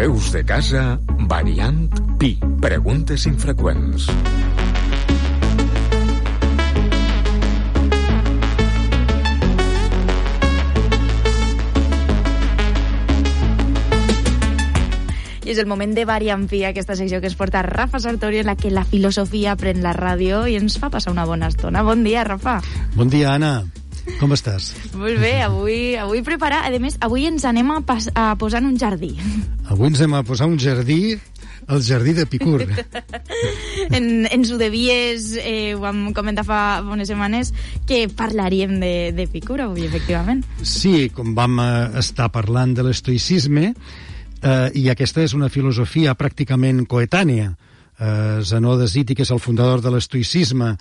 Veus de casa, variant Pi. Preguntes infreqüents. I és el moment de Variant Pi, aquesta secció que es porta Rafa Sartori, en la que la filosofia pren la ràdio i ens fa passar una bona estona. Bon dia, Rafa. Bon dia, Anna. Com estàs? Molt bé, avui preparar. A més, avui ens anem a posar en un jardí. Avui ens anem a posar un jardí, el jardí d'Epicur. Ens ho devies, ho vam comentar fa unes setmanes, que parlaríem d'Epicur avui, efectivament. Sí, com vam estar parlant de l'estoïcisme, i aquesta és una filosofia pràcticament coetània. Zenó de Citi, que és el fundador de l'estoïcisme,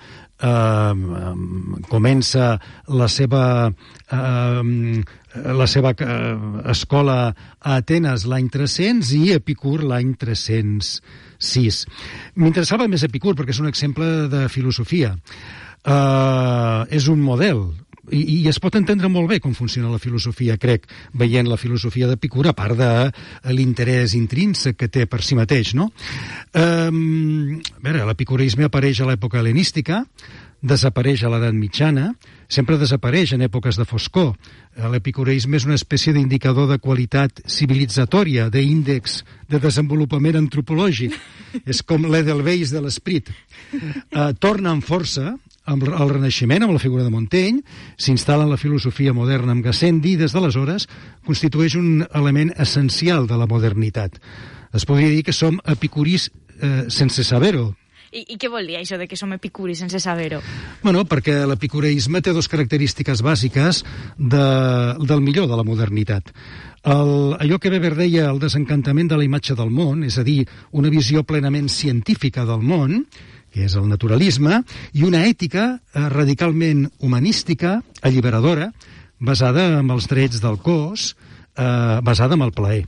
comença la seva escola a Atenes l'any 300 i Epicur l'any 306. M'interessava més Epicur perquè és un exemple de filosofia. És un model, i es pot entendre molt bé com funciona la filosofia, crec, veient la filosofia d'Epicur, a part de l'interès intrínsec que té per si mateix, no? A veure, l'epicureisme apareix a l'època hel·lenística, desapareix a l'edat mitjana, sempre desapareix en èpoques de foscor. L'epicureisme és una espècie d'indicador de qualitat civilitzatòria, d'índex de desenvolupament antropològic. És com l'Edelweiss de l'esperit. Torna amb força al Renaixement, amb la figura de Montaigne, s'instal·la en la filosofia moderna amb Gassendi i des d'aleshores constitueix un element essencial de la modernitat. Es podria dir que som epicuris sense saber-ho. I què vol dir això de que som epicuris sense saber-ho? Bueno, perquè l'epicureisme té dues característiques bàsiques del millor de la modernitat. Allò que Weber deia el desencantament de la imatge del món, és a dir, una visió plenament científica del món, que és el naturalisme, i una ètica radicalment humanística, alliberadora, basada en els drets del cos, basada en el plaer.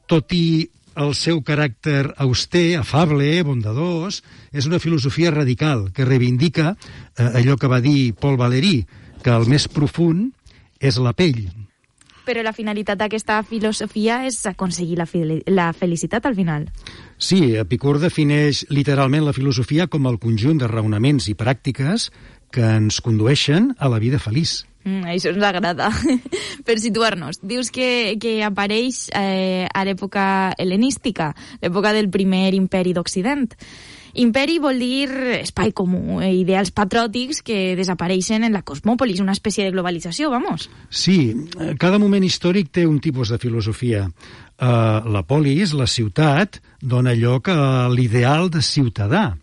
Tot i el seu caràcter auster, afable, bondadós, és una filosofia radical que reivindica allò que va dir Paul Valéry, que el més profund és la pell. Però la finalitat d'aquesta filosofia és aconseguir la felicitat al final. Sí, Epicur defineix literalment la filosofia com el conjunt de raonaments i pràctiques que ens condueixen a la vida feliç. Això ens agrada. Per situar-nos, dius que apareix a l'època hel·lenística, l'època del primer imperi d'Occident. Imperi vol dir espai comú, ideals patriòtics que desapareixen en la cosmòpolis, una espècie de globalització, vamos. Sí, cada moment històric té un tipus de filosofia. La polis, la ciutat, dona lloc a l'ideal de ciutadà.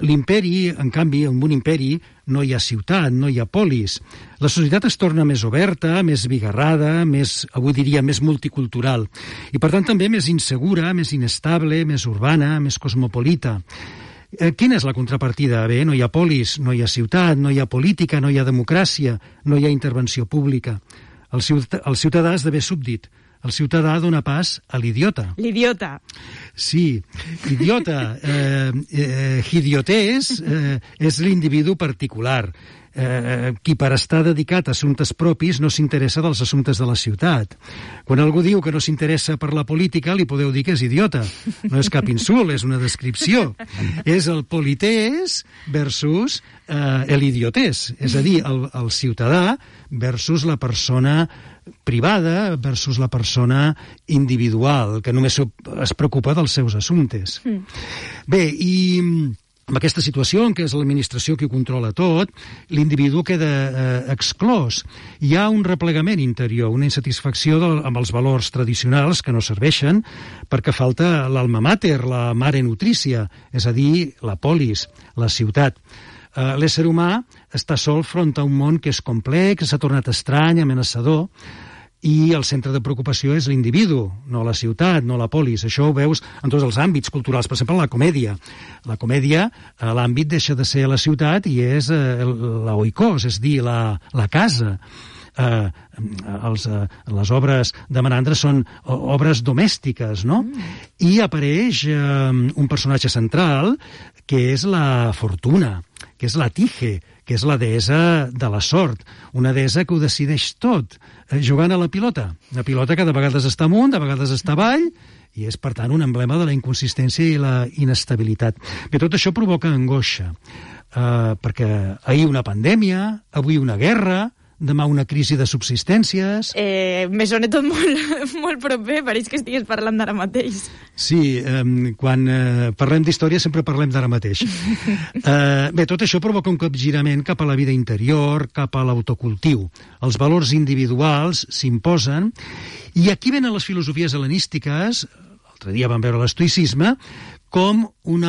L'imperi, en canvi, en un imperi no hi ha ciutat, no hi ha polis. La societat es torna més oberta, més bigarrada, avui diria, més multicultural. I, per tant, també més insegura, més inestable, més urbana, més cosmopolita. Quina és la contrapartida? Bé, no hi ha polis, no hi ha ciutat, no hi ha política, no hi ha democràcia, no hi ha intervenció pública. El ciutadà esdevé súbdit. El ciutadà dona pas a l'idiota. L'idiota. Sí, idiota. Idiotés és l'individu particular, qui per estar dedicat a assumptes propis no s'interessa dels assumptes de la ciutat. Quan algú diu que no s'interessa per la política, li podeu dir que és idiota. No és cap insult, és una descripció. És el polités versus l'idiotés. És a dir, el ciutadà versus la persona privada versus la persona individual, que només es preocupa dels seus assumptes. Bé, i amb aquesta situació en què és l'administració qui ho controla tot, l'individu queda exclòs. Hi ha un replegament interior, una insatisfacció amb els valors tradicionals que no serveixen perquè falta l'alma mater, la mare nutrícia, és a dir, la polis, la ciutat. L'ésser humà està sol front a un món que és complex, s'ha tornat estrany, amenaçador, i el centre de preocupació és l'individu, no la ciutat, no la polis. Això ho veus en tots els àmbits culturals, per exemple, la comèdia. La comèdia, l'àmbit deixa de ser la ciutat i és l'oikos, és dir, la casa. Les obres de Menandre són obres domèstiques, no? I apareix un personatge central que és la fortuna, que és la Tige, que és la deessa de la sort, una deessa que ho decideix tot, jugant a la pilota. La pilota que de vegades està amunt, de vegades està avall, i és, per tant, un emblema de la inconsistència i la inestabilitat. Bé, tot això provoca angoixa, perquè ahir una pandèmia, avui una guerra, demà una crisi de subsistències... Me sona tot molt proper, pareix que estigues parlant d'ara mateix. Sí, quan parlem d'història sempre parlem d'ara mateix. Bé, tot això provoca un capgirament cap a la vida interior, cap a l'autocultiu. Els valors individuals s'imposen, i aquí venen les filosofies hel·lenístiques, l'altre dia vam veure l'estoïcisme, com un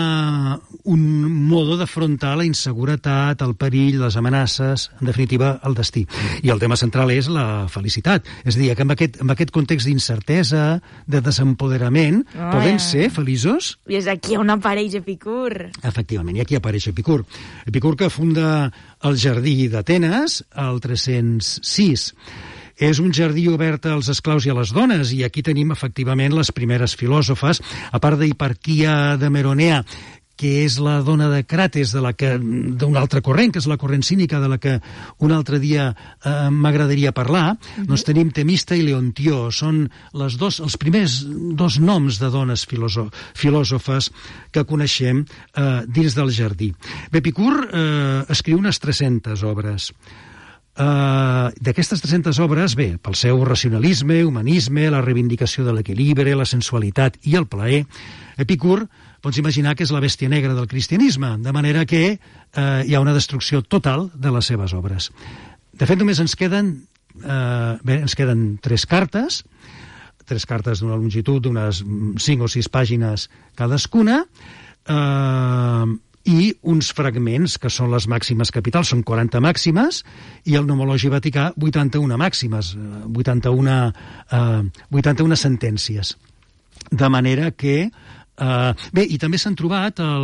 modo d'afrontar la inseguretat, el perill, les amenaces, en definitiva, el destí. I el tema central és la felicitat. És a dir, que amb aquest context d'incertesa, de desempoderament, podem ser feliços? I és aquí on apareix Epicur. Efectivament, i aquí apareix Epicur. Epicur, que funda el Jardí d'Atenes el 306. És un jardí obert als esclaus i a les dones, i aquí tenim efectivament les primeres filòsofes, a part d'Hiparquia de Meronea, que és la dona de Crates, d'un altre corrent, que és la corrent cínica, de la que un altre dia m'agradaria parlar. Doncs tenim Temista i Leontió, són els primers dos noms de dones filòsofes que coneixem dins del jardí. Epicur escriu unes 300 obres. D'aquestes 300 obres, bé, pel seu racionalisme, humanisme, la reivindicació de l'equilibri, la sensualitat i el plaer, Epicur, pots imaginar que és la bèstia negra del cristianisme, de manera que hi ha una destrucció total de les seves obres. De fet, només ens queden 3 cartes d'una longitud d'unes 5 o 6 pàgines cadascuna, i uns fragments que són les màximes capitals, són 40 màximes, i el Nomologi Vaticà 81 màximes, 81 sentències. De manera que... bé, i també s'han trobat a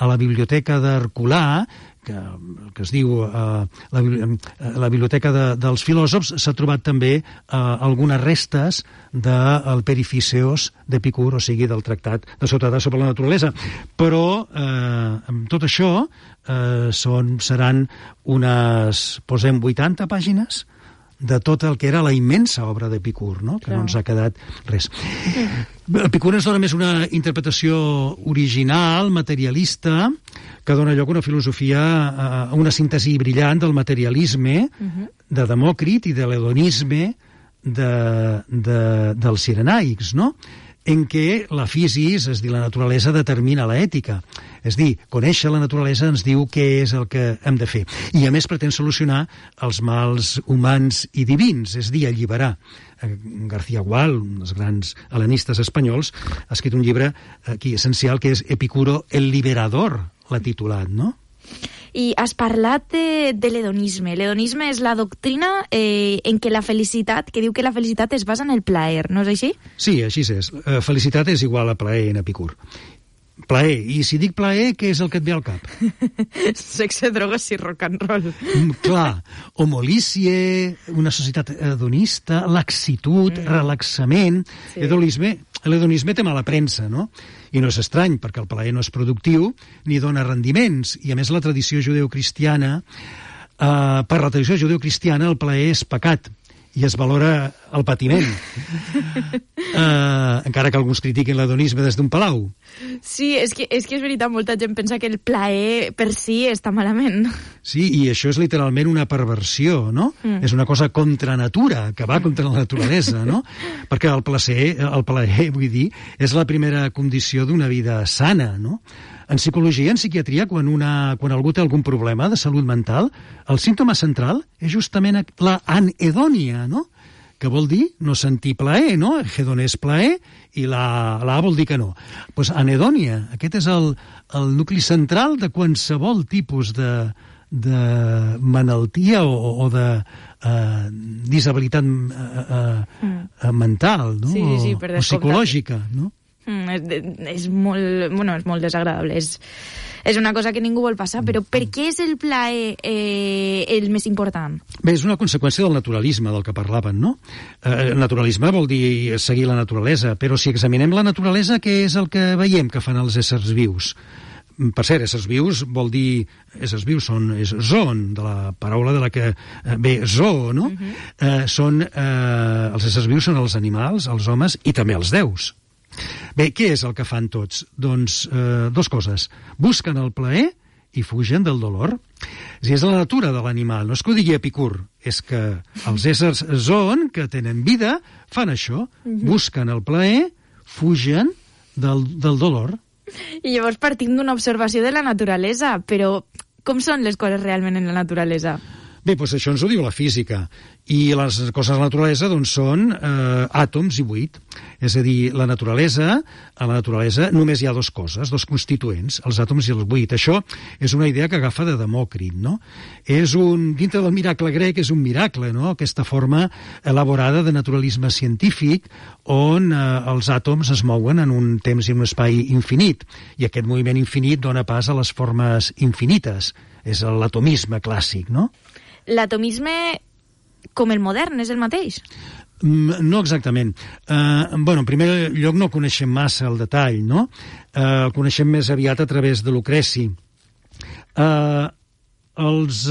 la biblioteca d'Herculà, que es diu la biblioteca dels filòsofs, s'ha trobat també algunes restes del Perificeos d'Epicur, o sigui, del tractat de Sotedà sobre la naturalesa. Però amb tot això seran unes, posem 80 pàgines de tot el que era la immensa obra d'Epicur, no? Que no ens ha quedat res. Epicur ens dona més una interpretació original, materialista, que dona lloc a una filosofia, a una síntesi brillant del materialisme, de Demòcrit i de l'hedonisme dels cirenaics, no? En què la physis, és dir, la naturalesa, determina l'ètica. És dir, conèixer la naturalesa ens diu què és el que hem de fer. I a més pretén solucionar els mals humans i divins, és dir, alliberar. García Gual, un dels grans hel·lenistes espanyols, ha escrit un llibre aquí essencial que és Epicuro el liberador, l'ha titulat, no? I has parlat de l'hedonisme. L'hedonisme és la doctrina en què la felicitat, que diu que la felicitat es basa en el plaer, no és així? Sí, així és. Felicitat és igual a plaer en Epicur. Plaer. I si dic plaer, què és el que et ve al cap? Sexe, drogues i rock and roll. Clar. Homolície, una societat hedonista, laxitud, relaxament. Sí. L'hedonisme té mala premsa, no? I no és estrany, perquè el plaer no és productiu ni dona rendiments. I, a més, la tradició judeocristiana, per la tradició judeocristiana, el plaer és pecat i es valora el patiment. Encara que alguns critiquin l'hedonisme des d'un palau. Sí, és que és veritat, molta gent pensa que el plaer per si està malament. Sí, i això és literalment una perversió, no? És una cosa contra natura, que va contra la naturalesa, no? Perquè el plaer, vull dir, és la primera condició d'una vida sana, no? En psicologia, en psiquiatria, quan algú té algun problema de salut mental, el símptoma central és justament la anhedònia, no? Que vol dir no sentir plaer, no? Hedon és plaer i la A vol dir que no. Doncs anhedònia, aquest és el nucli central de qualsevol tipus de malaltia o de disabilitat mental, no? Sí, o psicològica, no? És molt desagradable. És una cosa que ningú vol passar, però per què és el plaer el més important? Bé, és una conseqüència del naturalisme del que parlaven, no? Naturalisme vol dir seguir la naturalesa, però si examinem la naturalesa, què és el que veiem que fan els éssers vius? Per cert, éssers vius vol dir... Éssers vius és zoon, de la paraula de la que ve zoo, no? Els éssers vius són els animals, els homes i també els déus. Bé, què és el que fan tots? Doncs dues coses. Busquen el plaer i fugen del dolor. És la natura de l'animal, no és que ho digui Epicur, és que els éssers zoon, que tenen vida, fan això, busquen el plaer, fugen del dolor. I llavors partim d'una observació de la naturalesa, però com són les coses realment en la naturalesa? Bé, doncs això ens ho diu la física. I les coses de la naturalesa doncs, són àtoms i buit. És a dir, a la naturalesa només hi ha dues coses, dos constituents, els àtoms i el buit. Això és una idea que agafa de Demòcrit, no? Dintre del miracle grec és un miracle, no? Aquesta forma elaborada de naturalisme científic on els àtoms es mouen en un temps i un espai infinit. I aquest moviment infinit dona pas a les formes infinites. És l'atomisme clàssic, no? L'atomisme, com el modern, és el mateix? No exactament. En primer lloc no coneixem massa el detall, no? El coneixem més aviat a través de Lucreci. Els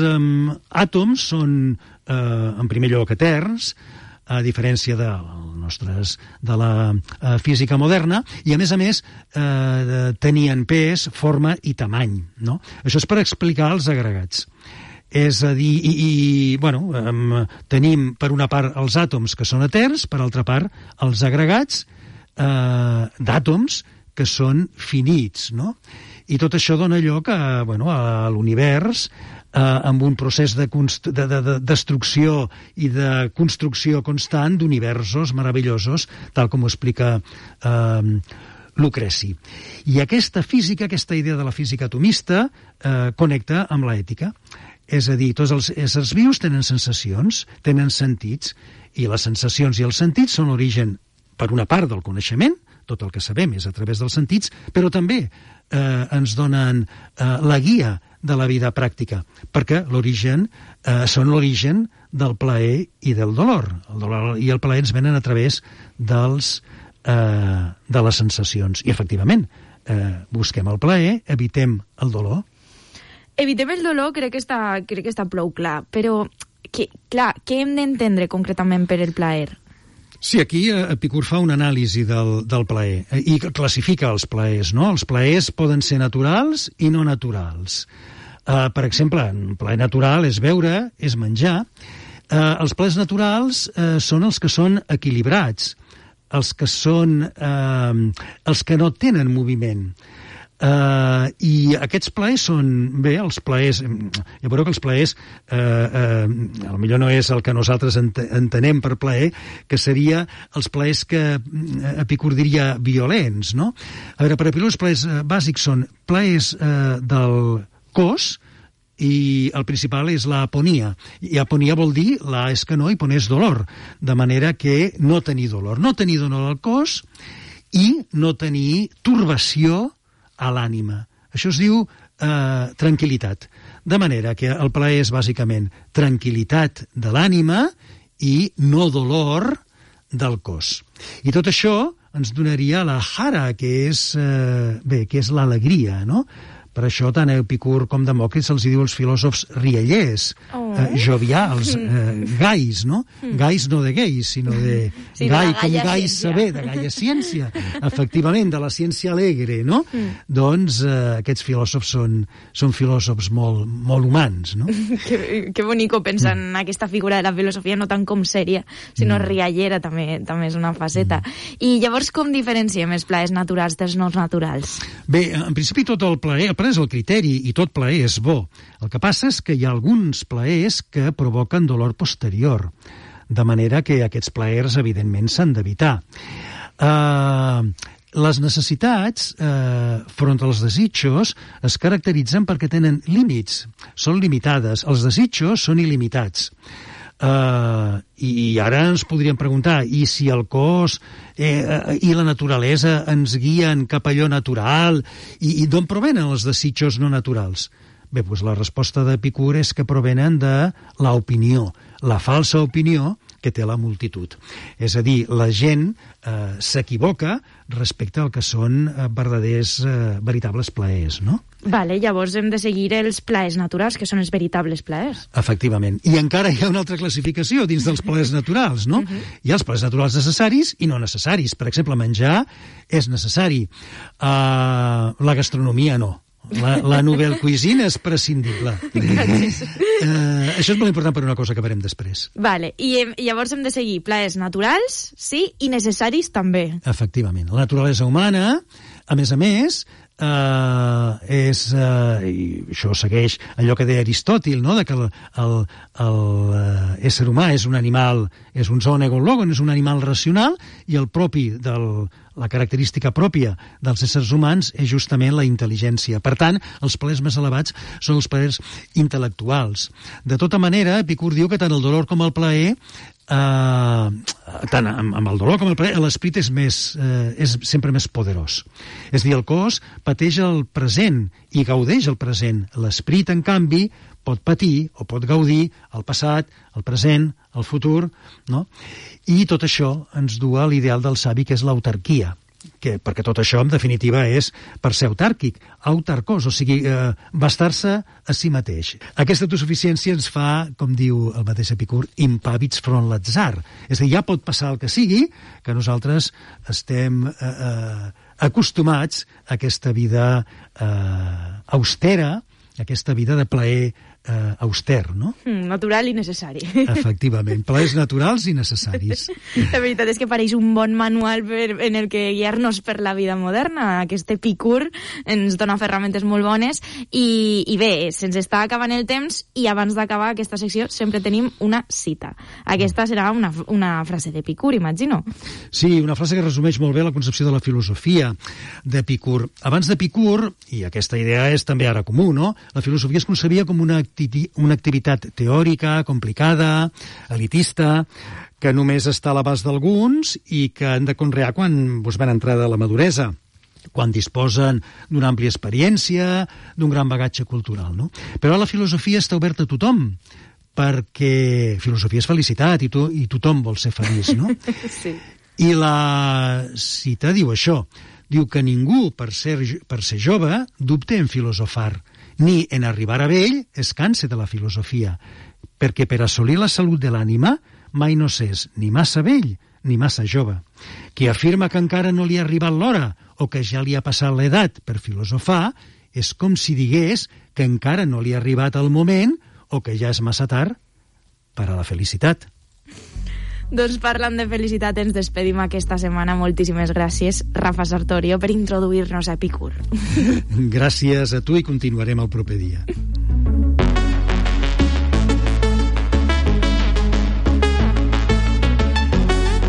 àtoms són, en primer lloc, eterns, a diferència de la física moderna, i a més tenien pes, forma i tamany, no? Això és per explicar els agregats. És a dir, tenim per una part els àtoms que són eterns, per altra part els agregats d'àtoms que són finits, no? I tot això dona lloc a l'univers amb un procés de destrucció i de construcció constant d'universos meravellosos, tal com ho explica Lucreci. I aquesta idea de la física atomista connecta amb l'ètica. És a dir, tots els éssers vius tenen sensacions, tenen sentits, i les sensacions i els sentits són l'origen, per una part, del coneixement, tot el que sabem és a través dels sentits, però també ens donen la guia de la vida pràctica, perquè són l'origen del plaer i del dolor. El dolor i el plaer ens venen a través de les sensacions. I, efectivament, busquem el plaer, evitem el dolor. Evitem el dolor crec que està prou clar, però què hem d'entendre concretament per el plaer? Sí, aquí Epicur fa una anàlisi del plaer i classifica els plaers, no? Els plaers poden ser naturals i no naturals. Per exemple, un plaer natural és beure, és menjar. Els plaers naturals són els que són equilibrats, els que no tenen moviment. I aquests plaers són, els plaers, ja veureu que els plaers potser no és el que nosaltres entenem per plaer, que seria els plaers que Epicur diria violents, no? A veure, per Epicur els plaers bàsics són plaers del cos, i el principal és l'aponia. I aponia vol dir, la és que no, i poner és dolor, de manera que no tenir dolor al cos i no tenir turbació a l'ànima. Això es diu tranquil·litat. De manera que el plaer és bàsicament tranquil·litat de l'ànima i no dolor del cos. I tot això ens donaria la jara, que és l'alegria, no? Per això tant Epicur com Demòcrit se'ls diu els filòsofs riallers, jovials, gais, no? Gais no de gais, sinó de gai com gai saber, de gaia ciència, efectivament, de la ciència alegre, no? Doncs aquests filòsofs són filòsofs molt humans, no? Que bonico pensar en aquesta figura de la filosofia no tant com sèria, sinó riallera també és una faceta. I llavors com diferenciem els plaers naturals dels no naturals? Bé, en principi tot el plaer és el criteri i tot plaer és bo. El que passa és que hi ha alguns plaers que provoquen dolor posterior, de manera que aquests plaers evidentment s'han d'evitar. Les necessitats front als desitjos es caracteritzen perquè tenen límits, són limitades. Els desitjos són il·limitats. I ara ens podríem preguntar, i si el cos i la naturalesa ens guien cap a allò natural, i d'on provenen els desitjos no naturals? Bé, doncs la resposta d'Epicur és que provenen de l'opinió, la falsa opinió que té la multitud. És a dir, la gent s'equivoca respecte al que són veritables plaers, no? Vale, llavors hem de seguir els plaers naturals, que són els veritables plaers. Efectivament. I encara hi ha una altra classificació dins dels plaers naturals, no? Hi ha els plaers naturals necessaris i no necessaris. Per exemple, menjar és necessari. La gastronomia no. La nouvelle cuisine és prescindible. Això és molt important per una cosa que verem després. Vale, i llavors hem de seguir plaers naturals, sí, i necessaris també. Efectivament. La naturalesa humana, a més, i això segueix allò que deia Aristòtil, no? De que l'ésser humà és un animal, és un zoon egon logon, és un animal racional, i la característica pròpia dels éssers humans és justament la intel·ligència. Per tant, els plaers més elevats són els plaers intel·lectuals. De tota manera, Epicur diu que tant el dolor com el plaer, tant amb el dolor com el plaer, l'esperit és sempre més poderós. És a dir, el cos pateix el present i gaudeix el present. L'esperit, en canvi, pot patir o pot gaudir el passat, el present, el futur, no? I tot això ens du a l'ideal del savi, que és l'autarquia, perquè tot això, en definitiva, és per ser autàrquic, autarcos, o sigui, bastar-se a si mateix. Aquesta autosuficiència ens fa, com diu el mateix Epicur, impàvids front l'atzar. És a dir, ja pot passar el que sigui, que nosaltres estem acostumats a aquesta vida austera, aquesta vida de plaer auster, no? Natural i necessari. Efectivament, plaers naturals i necessaris. La veritat és que pareix un bon manual en el que guiar-nos per la vida moderna. Aquest Epicur ens dona ferramentes molt bones i bé, se'ns està acabant el temps i abans d'acabar aquesta secció sempre tenim una cita. Aquesta serà una frase d'Epicur, imagino. Sí, una frase que resumeix molt bé la concepció de la filosofia d'Epicur. Abans d'Epicur, i aquesta idea és també ara comú, no? La filosofia es concebia com una activitat teòrica, complicada, elitista, que només està a l'abast d'alguns i que han de conrear quan van entrar de la maduresa, quan disposen d'una àmplia experiència, d'un gran bagatge cultural, no? Però la filosofia està oberta a tothom, perquè filosofia és felicitat i tothom vol ser feliç, no? Sí. I la cita diu això, diu que ningú, per ser jove, dubte en filosofar, ni en arribar a vell es canse de la filosofia, perquè per assolir la salut de l'ànima mai no s'és ni massa vell ni massa jove. Qui afirma que encara no li ha arribat l'hora o que ja li ha passat l'edat per filosofar és com si digués que encara no li ha arribat el moment o que ja és massa tard per a la felicitat. Doncs parlant de felicitat, ens despedim aquesta setmana. Moltíssimes gràcies, Rafa Sartorio, per introduir-nos a Epicur. Gràcies a tu i continuarem el proper dia.